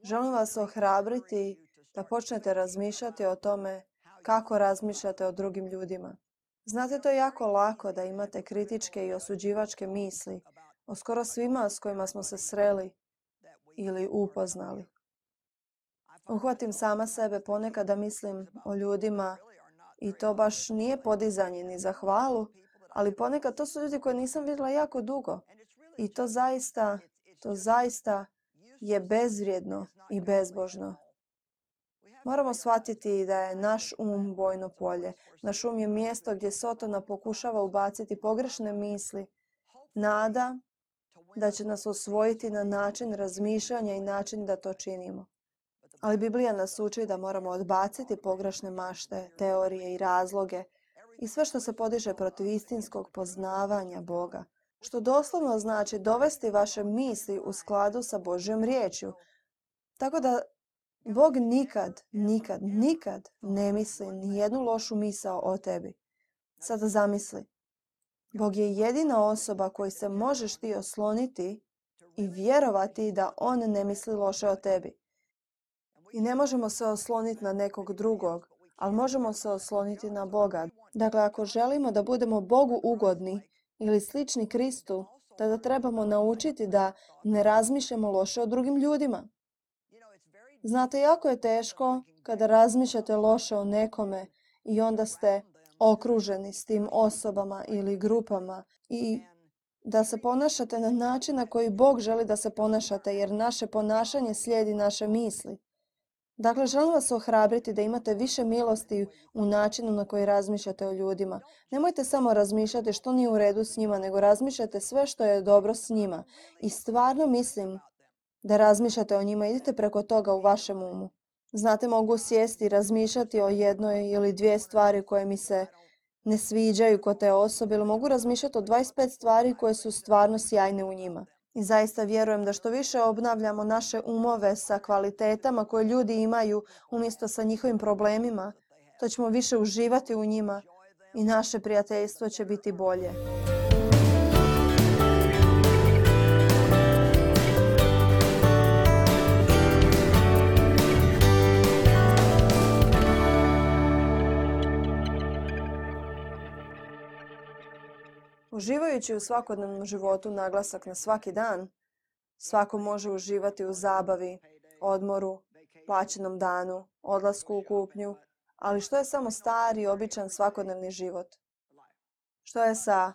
Želim vas ohrabriti da počnete razmišljati o tome kako razmišljate o drugim ljudima. Znate, to je jako lako da imate kritičke i osuđivačke misli o skoro svima s kojima smo se sreli ili upoznali. Uhvatim sama sebe ponekad da mislim o ljudima i to baš nije podizanje ni za hvalu, ali ponekad to su ljudi koje nisam vidjela jako dugo. I to zaista je bezvrijedno i bezbožno. Moramo shvatiti da je naš um bojno polje. Naš um je mjesto gdje Sotona pokušava ubaciti pogrešne misli. Nada da će nas osvojiti na način razmišljanja i način da to činimo. Ali Biblija nas uči da moramo odbaciti pogrešne mašte, teorije i razloge i sve što se podiže protiv istinskog poznavanja Boga. Što doslovno znači dovesti vaše misli u skladu sa Božjom riječju. Tako da Bog nikad ne misli ni jednu lošu misao o tebi. Sada zamisli. Bog je jedina osoba koju se možeš ti osloniti i vjerovati da On ne misli loše o tebi. I ne možemo se osloniti na nekog drugog, ali možemo se osloniti na Boga. Dakle, ako želimo da budemo Bogu ugodni ili slični Kristu, tada trebamo naučiti da ne razmišljamo loše o drugim ljudima. Znate, jako je teško kada razmišljate loše o nekome i onda ste okruženi s tim osobama ili grupama i da se ponašate na način na koji Bog želi da se ponašate, jer naše ponašanje slijedi naše misli. Dakle, želim vas ohrabriti da imate više milosti u načinu na koji razmišljate o ljudima. Nemojte samo razmišljati što nije u redu s njima, nego razmišljate sve što je dobro s njima. I stvarno mislim da razmišljate o njima, idite preko toga u vašem umu. Znate, mogu sjesti i razmišljati o jednoj ili dvije stvari koje mi se ne sviđaju kod te osobe, ili mogu razmišljati o 25 stvari koje su stvarno sjajne u njima. I zaista vjerujem da što više obnavljamo naše umove sa kvalitetama koje ljudi imaju umjesto sa njihovim problemima, to ćemo više uživati u njima i naše prijateljstvo će biti bolje. Uživajući u svakodnevnom životu naglasak na svaki dan, svako može uživati u zabavi, odmoru, plaćenom danu, odlasku u kupnju, ali što je samo stari, običan svakodnevni život? Što je sa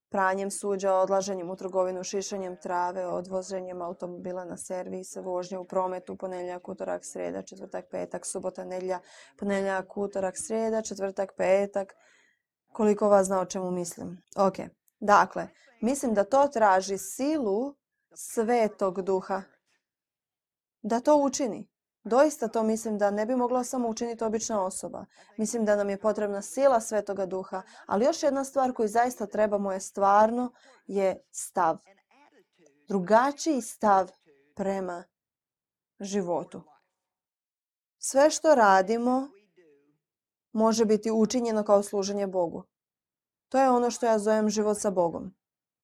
pranjem suđa, odlaženjem u trgovinu, šišanjem trave, odvoženjem automobila na servis, vožnje u prometu, ponedjeljak, utorak, srijeda, četvrtak, petak, subota, nedjelja, ponedjeljak, utorak, srijeda, četvrtak, petak. Koliko vas zna o čemu mislim? Ok. Dakle, mislim da to traži silu Svetog Duha da to učini. Doista to mislim da ne bi mogla samo učiniti obična osoba. Mislim da nam je potrebna sila Svetoga Duha. Ali još jedna stvar koju zaista trebamo je stav. Drugačiji stav prema životu. Sve što radimo može biti učinjeno kao služenje Bogu. To je ono što ja zovem život sa Bogom.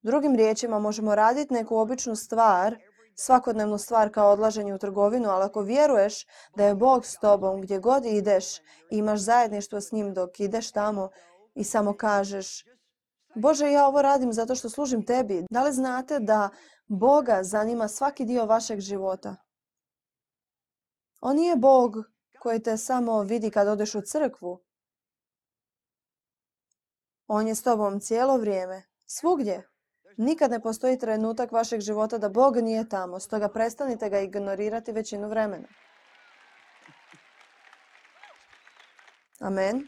Drugim riječima, možemo raditi neku običnu stvar, svakodnevnu stvar kao odlaženje u trgovinu, ali ako vjeruješ da je Bog s tobom gdje god ideš i imaš zajedništvo s njim dok ideš tamo i samo kažeš: Bože, ja ovo radim zato što služim tebi. Da li znate da Boga zanima svaki dio vašeg života? On nije Bog koji te samo vidi kad odeš u crkvu. On je s tobom cijelo vrijeme, svugdje. Nikad ne postoji trenutak vašeg života da Bog nije tamo, stoga prestanite ga ignorirati većinu vremena. Amen.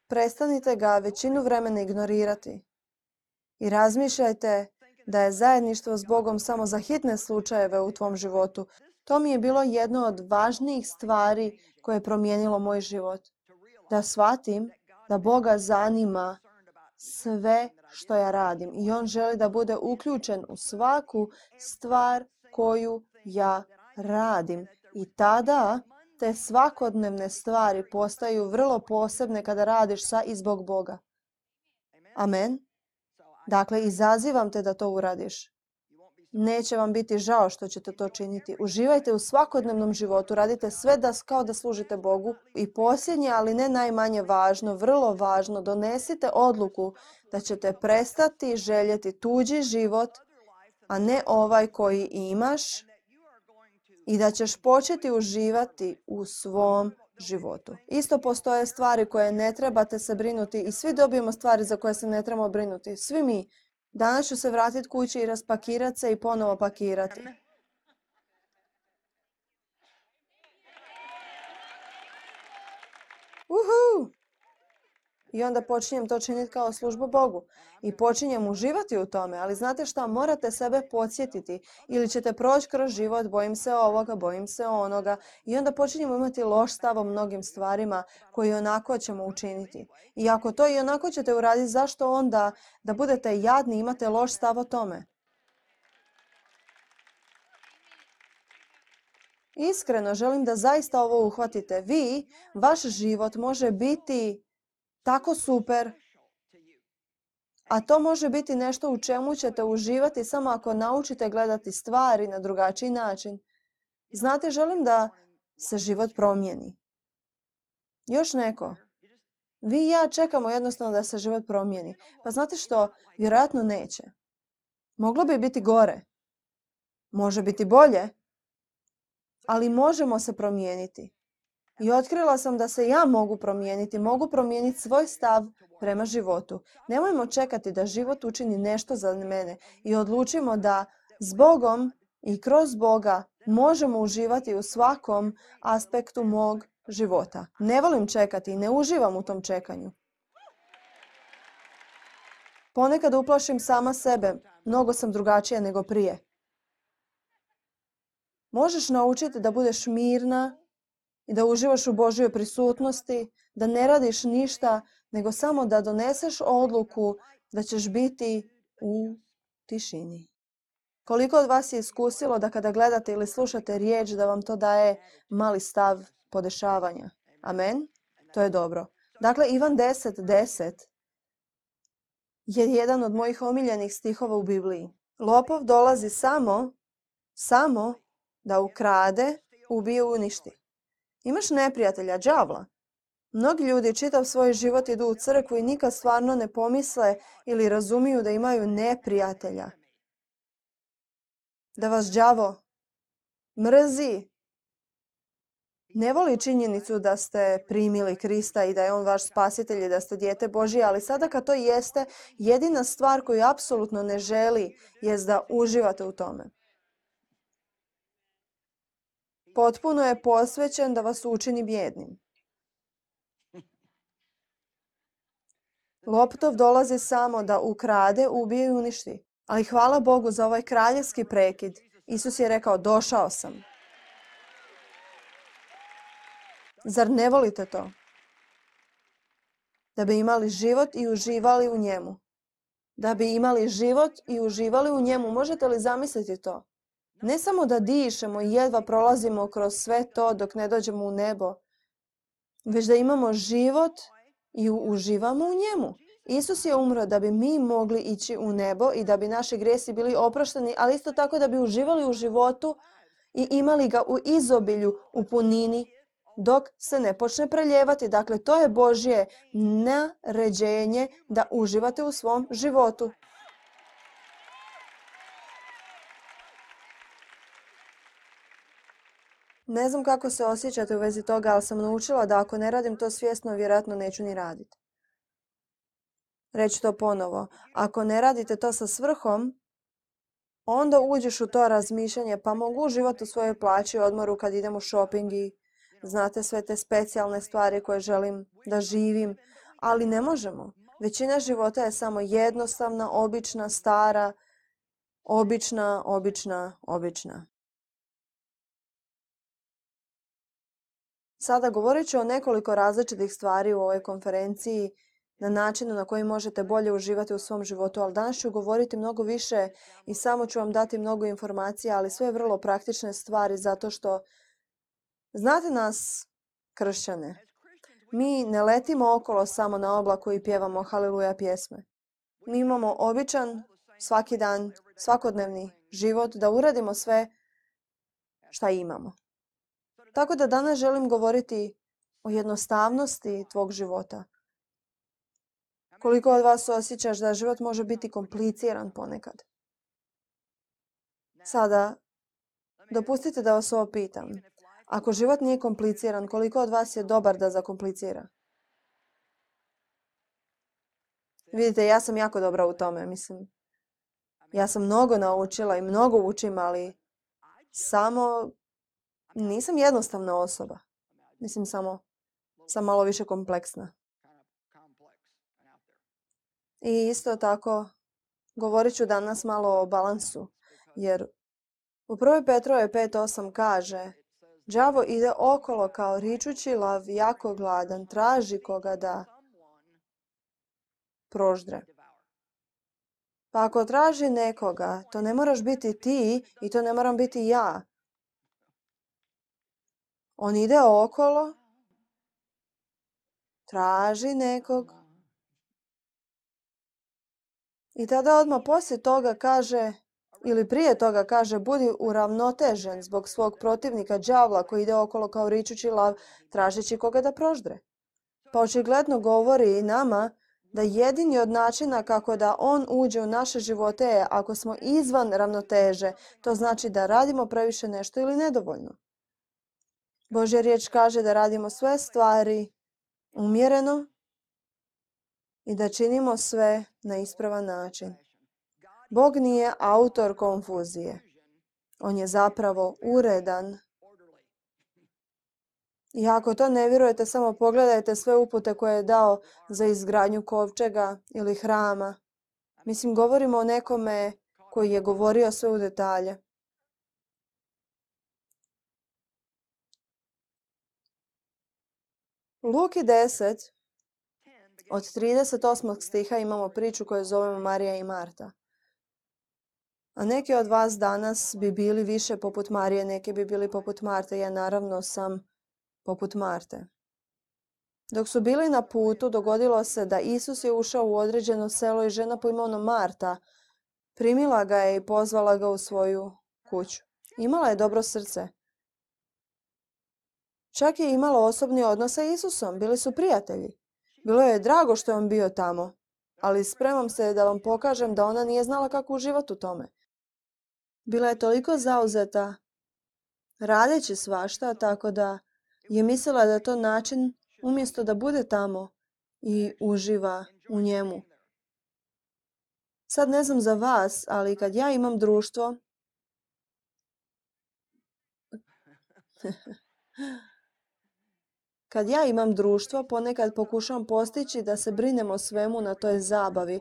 Prestanite ga većinu vremena ignorirati i razmišljajte da je zajedništvo s Bogom samo za hitne slučajeve u tvom životu. To mi je bilo jedno od važnijih stvari koje je promijenilo moj život. Da shvatim da Boga zanima sve što ja radim i On želi da bude uključen u svaku stvar koju ja radim. I tada te svakodnevne stvari postaju vrlo posebne kada radiš sa i zbog Boga. Amen. Dakle, izazivam te da to uradiš. Neće vam biti žao što ćete to činiti. Uživajte u svakodnevnom životu. Radite sve kao da služite Bogu. I posljednje, ali ne najmanje važno, vrlo važno, donesite odluku da ćete prestati željeti tuđi život, a ne ovaj koji imaš, i da ćeš početi uživati u svom životu. Isto postoje stvari koje ne trebate se brinuti i svi dobijemo stvari za koje se ne trebamo brinuti. Svi mi. Danas ću se vratiti kući i raspakirati se i ponovo pakirati. Uhu! I onda počinjem to činiti kao službu Bogu. I počinjem uživati u tome. Ali znate šta? Morate sebe podsjetiti. Ili ćete proći kroz život, bojim se ovoga, bojim se onoga. I onda počinjemo imati loš stav o mnogim stvarima koji onako ćemo učiniti. I ako to i onako ćete uraditi, zašto onda da budete jadni i imate loš stav o tome? Iskreno želim da zaista ovo uhvatite. Vaš život može biti tako super, a to može biti nešto u čemu ćete uživati samo ako naučite gledati stvari na drugačiji način. Znate, želim da se život promijeni. Još neko. Vi i ja čekamo jednostavno da se život promijeni. Pa znate što? Vjerojatno neće. Moglo bi biti gore. Može biti bolje. Ali možemo se promijeniti. I otkrila sam da se ja mogu promijeniti svoj stav prema životu. Nemojmo čekati da život učini nešto za mene i odlučimo da s Bogom i kroz Boga možemo uživati u svakom aspektu mog života. Ne volim čekati i ne uživam u tom čekanju. Ponekad uplašim sama sebe, mnogo sam drugačija nego prije. Možeš naučiti da budeš mirna i da uživaš u Božjoj prisutnosti, da ne radiš ništa, nego samo da doneseš odluku da ćeš biti u tišini. Koliko od vas je iskusilo da kada gledate ili slušate riječ da vam to daje mali stav podešavanja? Amen? To je dobro. Dakle, Ivan 10:10 je jedan od mojih omiljenih stihova u Bibliji. Lopov dolazi samo da ukrade, ubije, uništi. Imaš neprijatelja, đavla. Mnogi ljudi čitav svoj život idu u crkvu i nikad stvarno ne pomisle ili razumiju da imaju neprijatelja. Da vas đavo mrzi. Ne voli činjenicu da ste primili Krista i da je on vaš spasitelj i da ste dijete Božje, ali sada kad to jeste, jedina stvar koju apsolutno ne želi jest da uživate u tome. Potpuno je posvećen da vas učini bijednim. Lopov dolazi samo da ukrade, ubije i uništi. Ali hvala Bogu za ovaj kraljevski prekid. Isus je rekao, došao sam. Zar ne volite to? Da bi imali život i uživali u njemu. Da bi imali život i uživali u njemu. Možete li zamisliti to? Ne samo da dišemo i jedva prolazimo kroz sve to dok ne dođemo u nebo, već da imamo život i uživamo u njemu. Isus je umro da bi mi mogli ići u nebo i da bi naši grijesi bili oprošteni, ali isto tako da bi uživali u životu i imali ga u izobilju, u punini, dok se ne počne preljevati. Dakle, to je Božje naređenje da uživate u svom životu. Ne znam kako se osjećate u vezi toga, ali sam naučila da ako ne radim to svjesno, vjerojatno neću ni raditi. Reći to ponovo. Ako ne radite to sa svrhom, onda uđeš u to razmišljanje, pa mogu uživati u svojoj plaći, odmoru kad idem u shopping i znate sve te specijalne stvari koje želim da živim, ali ne možemo. Većina života je samo jednostavna, obična, stara, obična. Sada govorit ću o nekoliko različitih stvari u ovoj konferenciji na načinu na koji možete bolje uživati u svom životu, ali danas ću govoriti mnogo više i samo ću vam dati mnogo informacija, ali sve vrlo praktične stvari zato što znate nas, kršćane, mi ne letimo okolo samo na oblaku i pjevamo haleluja pjesme. Mi imamo običan, svaki dan, svakodnevni život, da uradimo sve šta imamo. Tako da danas želim govoriti o jednostavnosti tvog života. Koliko od vas osjećaš da život može biti kompliciran ponekad? Sada, dopustite da vas ovo pitam. Ako život nije kompliciran, koliko od vas je dobar da zakomplicira? Vidite, ja sam jako dobra u tome, mislim. Ja sam mnogo naučila i mnogo učim, ali samo nisam jednostavna osoba. Mislim, samo sam malo više kompleksna. I isto tako, govorit ću danas malo o balansu, jer u 1. Petrove 5.8 kaže: đavo ide okolo kao ričući lav, jako gladan, traži koga da proždre. Pa ako traži nekoga, to ne moraš biti ti i to ne moram biti ja. On ide okolo, traži nekog i tada odmah poslije toga kaže, ili prije toga kaže, budi uravnotežen zbog svog protivnika đavla koji ide okolo kao ričući lav, tražeći koga da proždre. Pa očigledno govori i nama da jedini od načina kako da on uđe u naše živote je ako smo izvan ravnoteže. To znači da radimo previše nešto ili nedovoljno. Božja riječ kaže da radimo sve stvari umjereno i da činimo sve na ispravan način. Bog nije autor konfuzije. On je zapravo uredan. I ako to ne vjerujete, samo pogledajte sve upute koje je dao za izgradnju kovčega ili hrama. Mislim, govorimo o nekome koji je govorio sve u detalje. U Luki 10, od 38. stiha imamo priču koju zovemo Marija i Marta. A neki od vas danas bi bili više poput Marije, neki bi bili poput Marte. Ja naravno sam poput Marte. Dok su bili na putu, dogodilo se da Isus je ušao u određeno selo i žena po imenu Marta primila ga je i pozvala ga u svoju kuću. Imala je dobro srce. Čak je imala osobni odnos sa Isusom. Bili su prijatelji. Bilo je drago što je on bio tamo, ali spremam se da vam pokažem da ona nije znala kako uživati u tome. Bila je toliko zauzeta radeći svašta, tako da je mislila da je to način umjesto da bude tamo i uživa u njemu. Sad ne znam za vas, ali kad ja imam društvo, ponekad pokušavam postići da se brinem o svemu na toj zabavi,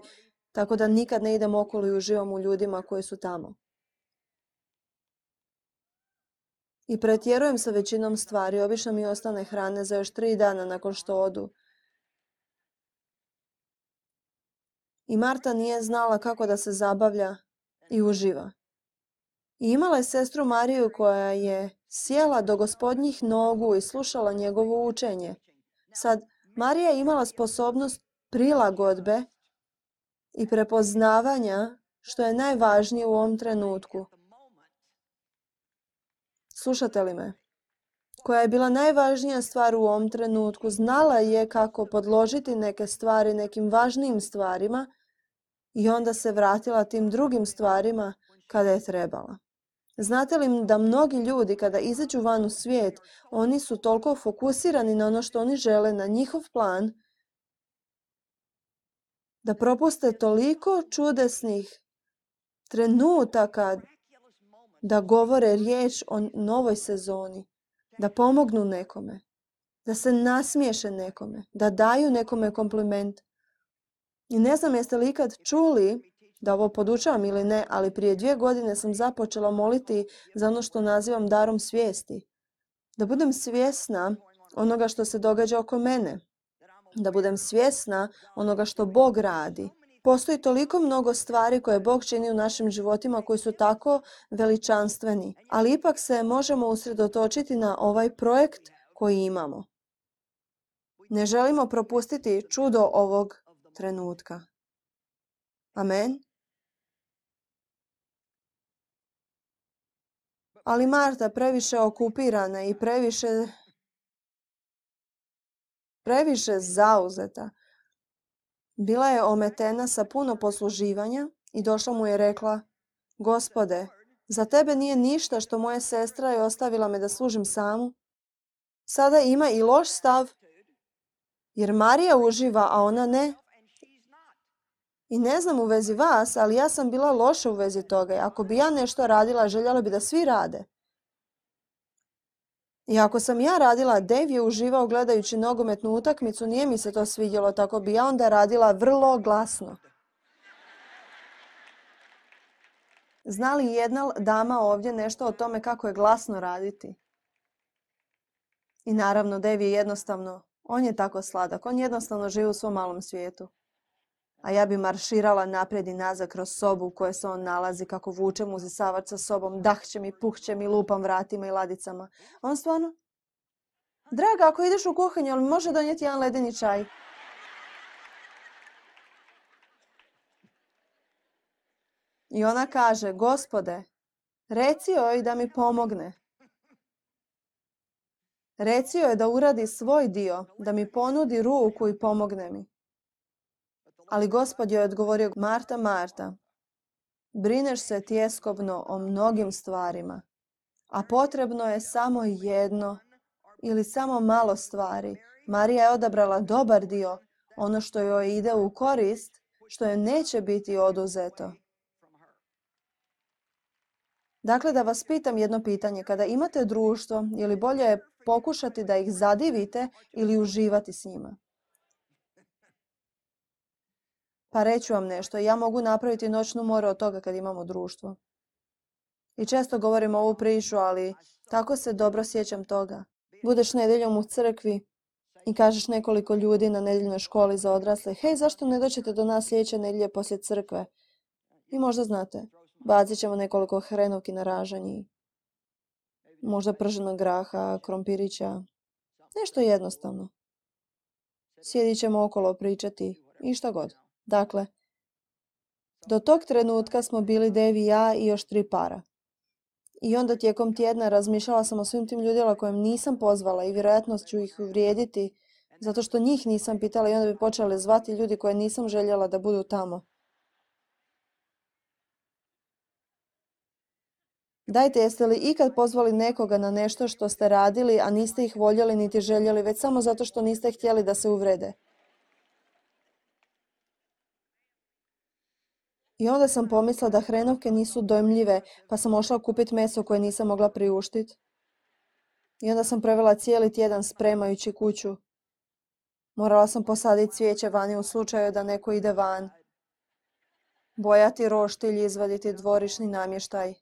tako da nikad ne idem okolo i uživam u ljudima koji su tamo. I pretjerujem sa većinom stvari, obično mi ostane hrane za još 3 dana nakon što odu. I Marta nije znala kako da se zabavlja i uživa. I imala je sestru Mariju koja je sjela do Gospodnjih nogu i slušala njegovo učenje. Sad, Marija je imala sposobnost prilagodbe i prepoznavanja, što je najvažnije u ovom trenutku. Slušate li me? Koja je bila najvažnija stvar u ovom trenutku, znala je kako podložiti neke stvari nekim važnijim stvarima i onda se vratila tim drugim stvarima kada je trebala. Znate li da mnogi ljudi kada izađu van u svijet, oni su toliko fokusirani na ono što oni žele, na njihov plan, da propuste toliko čudesnih trenutaka da govore riječ o novoj sezoni, da pomognu nekome, da se nasmiješe nekome, da daju nekome kompliment. I ne znam jeste li ikad čuli, da ovo podučavam ili ne, ali prije 2 godine sam započela moliti za ono što nazivam darom svijesti. Da budem svjesna onoga što se događa oko mene. Da budem svjesna onoga što Bog radi. Postoji toliko mnogo stvari koje Bog čini u našim životima koji su tako veličanstveni, ali ipak se možemo usredotočiti na ovaj projekt koji imamo. Ne želimo propustiti čudo ovog trenutka. Amen. Ali Marta, previše okupirana i previše zauzeta, bila je ometena sa puno posluživanja i došla mu je rekla: Gospode, za tebe nije ništa što moja sestra je ostavila me da služim samu? Sada ima i loš stav, jer Marija uživa, a ona ne. I ne znam u vezi vas, ali ja sam bila loša u vezi toga. Ako bi ja nešto radila, željela bi da svi rade. I ako sam ja radila, Dave je uživao gledajući nogometnu utakmicu, nije mi se to svidjelo, tako bi ja onda radila vrlo glasno. Zna li jedna dama ovdje nešto o tome kako je glasno raditi? I naravno, Dave je jednostavno, on je tako sladak, on jednostavno živi u svom malom svijetu. A ja bi marširala naprijed i nazad kroz sobu u kojoj se on nalazi, kako vučem uzisavač sa sobom, dahćem i puhćem i lupam vratima i ladicama. On stvarno: Draga, ako ideš u kuhinju, ali može donijeti jedan ledeni čaj? I ona kaže: Gospode, reci joj da mi pomogne. Reci joj da uradi svoj dio, da mi ponudi ruku i pomogne mi. Ali Gospod joj je odgovorio: Marta, Marta, brineš se tjeskobno o mnogim stvarima, a potrebno je samo jedno ili samo malo stvari. Marija je odabrala dobar dio, ono što joj ide u korist, što joj neće biti oduzeto. Dakle, da vas pitam jedno pitanje. Kada imate društvo, je li bolje pokušati da ih zadivite ili uživati s njima? Pa reću vam nešto. Ja mogu napraviti noćnu moru od toga kad imamo društvo. I često govorim ovu priču, ali tako se dobro sjećam toga. Budeš nedjeljom u crkvi i kažeš nekoliko ljudi na nedjeljnoj školi za odrasle: Hej, zašto ne dođete do nas sljedeće nedjelje poslije crkve? I možda znate, bacit ćemo nekoliko hrenovki na ražanji, možda prženog graha, krompirića, nešto jednostavno. Sjedit ćemo okolo pričati i šta god. Dakle, do tog trenutka smo bili Dave i ja i još 3 para. I onda tijekom tjedna razmišljala sam o svim tim ljudima kojim nisam pozvala i vjerojatno ću ih uvrijediti zato što njih nisam pitala i onda bi počeli zvati ljudi koje nisam željela da budu tamo. Dajte, jeste li ikad pozvali nekoga na nešto što ste radili, a niste ih voljeli niti željeli, već samo zato što niste htjeli da se uvrede? I onda sam pomislila da hrenovke nisu dojmljive, pa sam ošla kupiti meso koje nisam mogla priuštiti. I onda sam provela cijeli tjedan spremajući kuću. Morala sam posaditi cvijeće vani u slučaju da neko ide van. Bojati roštilj, izvaditi dvorišni namještaj.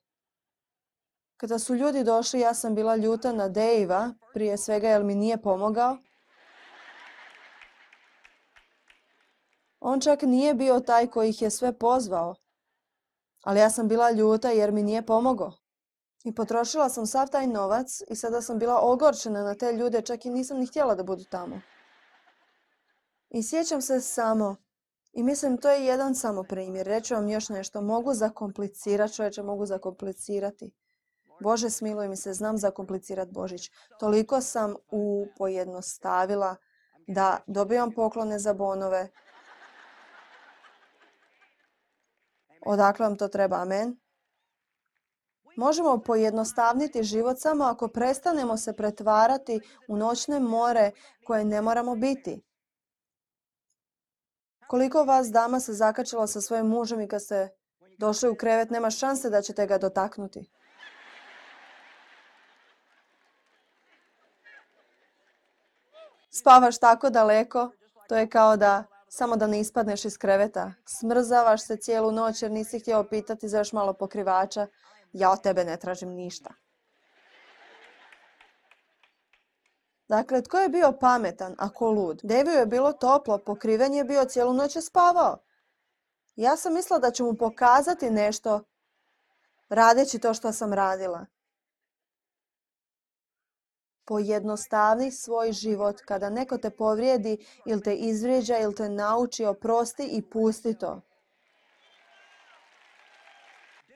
Kada su ljudi došli, ja sam bila ljuta na Dejva, prije svega jer mi nije pomogao. On čak nije bio taj koji ih je sve pozvao. Ali ja sam bila ljuta jer mi nije pomogao. I potrošila sam sav taj novac i sada sam bila ogorčena na te ljude, čak i nisam ni htjela da budu tamo. I sjećam se samo, i mislim to je jedan samo primjer, reću vam još nešto, mogu zakomplicirati, čovječe, mogu zakomplicirati. Bože, smiluj mi se, znam zakomplicirati Božić. Toliko sam pojednostavila da dobivam poklone za bonove. Odakle vam to treba, amen? Možemo pojednostavniti život samo ako prestanemo se pretvarati u noćne more koje ne moramo biti. Koliko vas dama se zakačilo sa svojim mužem i kad ste došli u krevet, nema šanse da ćete ga dotaknuti. Spavaš tako daleko, to je kao da samo da ne ispadneš iz kreveta. Smrzavaš se cijelu noć jer nisi htio pitati za još malo pokrivača. Ja od tebe ne tražim ništa. Dakle, tko je bio pametan ako lud? Deviju je bilo toplo, pokriven je bio, cijelu noć je spavao. Ja sam mislila da ću mu pokazati nešto radeći to što sam radila. Pojednostavni svoj život. Kada neko te povrijedi ili te izvrijeđa ili te nauči, oprosti i pusti to.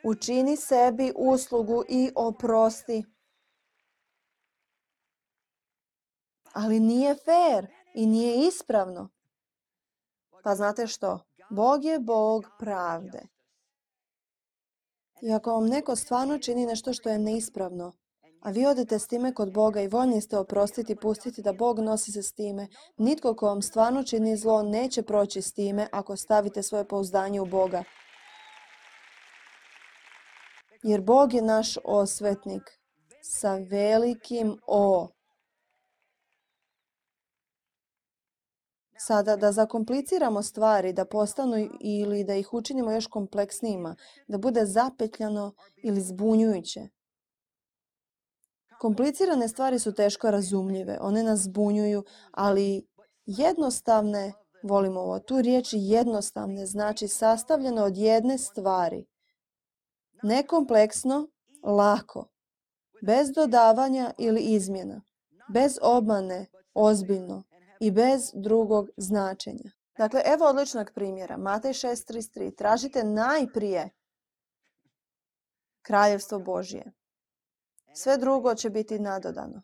Učini sebi uslugu i oprosti. Ali nije fair i nije ispravno. Pa znate što? Bog je Bog pravde. I ako vam neko stvarno čini nešto što je neispravno, a vi odete s time kod Boga i voljni ste oprostiti i pustiti da Bog nosi se s time, nitko ko vam stvarno čini zlo neće proći s time ako stavite svoje pouzdanje u Boga. Jer Bog je naš osvetnik sa velikim O. Sada da zakompliciramo stvari, da postanu ili da ih učinimo još kompleksnijima, da bude zapetljano ili zbunjujuće. Komplicirane stvari su teško razumljive, one nas zbunjuju, ali jednostavne, volimo ovo, tu riječ jednostavne znači sastavljeno od jedne stvari. Nekompleksno, lako, bez dodavanja ili izmjena, bez obmane, ozbiljno i bez drugog značenja. Dakle, evo odličnog primjera. Matej 6.33. Tražite najprije kraljevstvo Božje. Sve drugo će biti nadodano.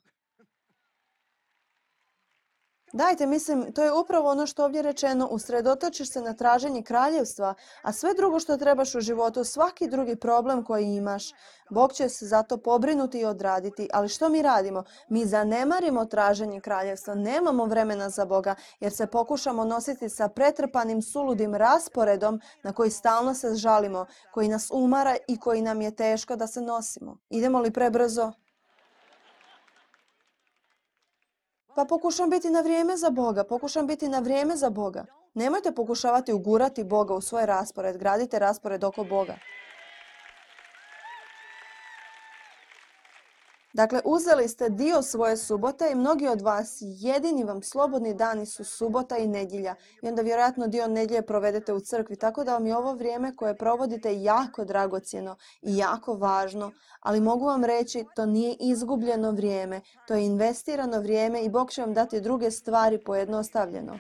Dajte, mislim, to je upravo ono što ovdje rečeno, usredotočiš se na traženje kraljevstva, a sve drugo što trebaš u životu, svaki drugi problem koji imaš, Bog će se za to pobrinuti i odraditi. Ali što mi radimo? Mi zanemarimo traženje kraljevstva, nemamo vremena za Boga, jer se pokušamo nositi sa pretrpanim suludim rasporedom na koji stalno se žalimo, koji nas umara i koji nam je teško da se nosimo. Idemo li prebrzo? Pa pokušam biti na vrijeme za Boga, Nemojte pokušavati ugurati Boga u svoj raspored, gradite raspored oko Boga. Dakle, uzeli ste dio svoje subote i mnogi od vas jedini vam slobodni dani su subota i nedjelja. I onda vjerojatno dio nedjelje provedete u crkvi, tako da vam je ovo vrijeme koje provodite jako dragocjeno i jako važno, ali mogu vam reći, to nije izgubljeno vrijeme, to je investirano vrijeme i Bog će vam dati druge stvari pojednostavljeno.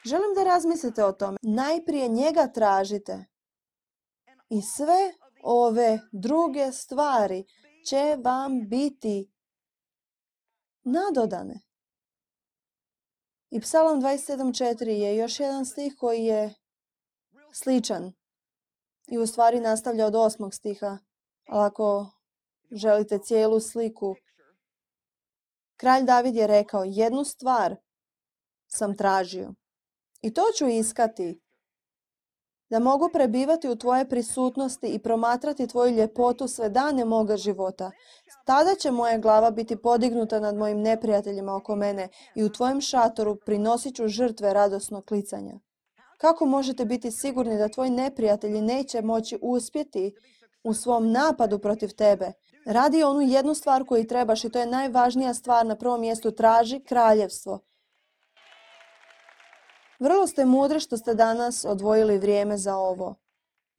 Želim da razmislite o tome. Najprije njega tražite i sve ove druge stvari će vam biti nadodane. I Psalam 27.4 je još jedan stih koji je sličan i u stvari nastavlja od 8. stiha. Ali ako želite cijelu sliku, kralj David je rekao, jednu stvar sam tražio i to ću iskati, da mogu prebivati u tvoje prisutnosti i promatrati tvoju ljepotu sve dane moga života. Tada će moja glava biti podignuta nad mojim neprijateljima oko mene i u tvojem šatoru prinosit ću žrtve radosnog klicanja. Kako možete biti sigurni da tvoji neprijatelji neće moći uspjeti u svom napadu protiv tebe? Radi onu jednu stvar koju trebaš i to je najvažnija stvar na prvom mjestu, traži kraljevstvo. Vrlo ste mudri što ste danas odvojili vrijeme za ovo.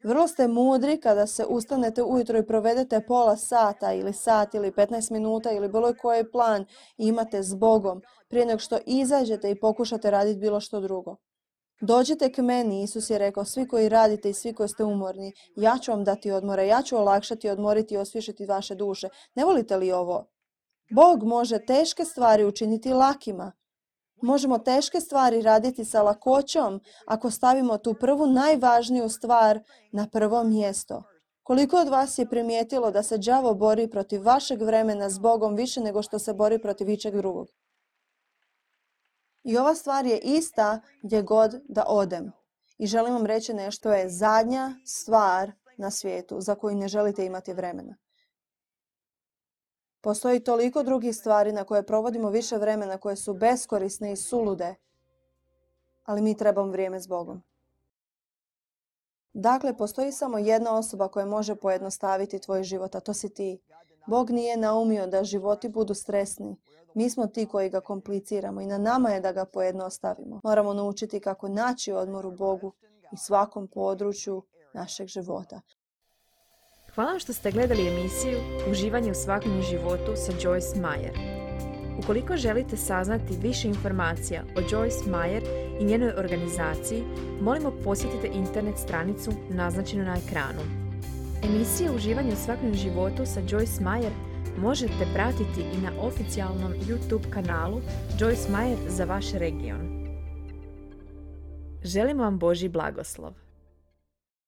Vrlo ste mudri kada se ustanete ujutro i provedete pola sata ili sat ili 15 minuta ili bilo koji plan imate s Bogom prije nego što izađete i pokušate raditi bilo što drugo. Dođite k meni, Isus je rekao, svi koji radite i svi koji ste umorni, ja ću vam dati odmora, ja ću olakšati, odmoriti i osvježiti vaše duše. Ne volite li ovo? Bog može teške stvari učiniti lakima. Možemo teške stvari raditi sa lakoćom ako stavimo tu prvu najvažniju stvar na prvo mjesto. Koliko od vas je primijetilo da se đavo bori protiv vašeg vremena s Bogom više nego što se bori protiv ičeg drugog? I ova stvar je ista gdje god da odem. I želim vam reći nešto, je zadnja stvar na svijetu za koju ne želite imati vremena. Postoji toliko drugih stvari na koje provodimo više vremena, koje su beskorisne i sulude, ali mi trebamo vrijeme s Bogom. Dakle, postoji samo jedna osoba koja može pojednostaviti tvoj život, a to si ti. Bog nije naumio da životi budu stresni. Mi smo ti koji ga kompliciramo i na nama je da ga pojednostavimo. Moramo naučiti kako naći odmor u Bogu i svakom području našeg života. Hvala što ste gledali emisiju Uživanje u svakom životu sa Joyce Meyer. Ukoliko želite saznati više informacija o Joyce Meyer i njenoj organizaciji, molimo posjetite internet stranicu naznačenu na ekranu. Emisije Uživanje u svakodnevnom životu sa Joyce Meyer možete pratiti i na oficijalnom YouTube kanalu Joyce Meyer za vaš region. Želimo vam Božji blagoslov.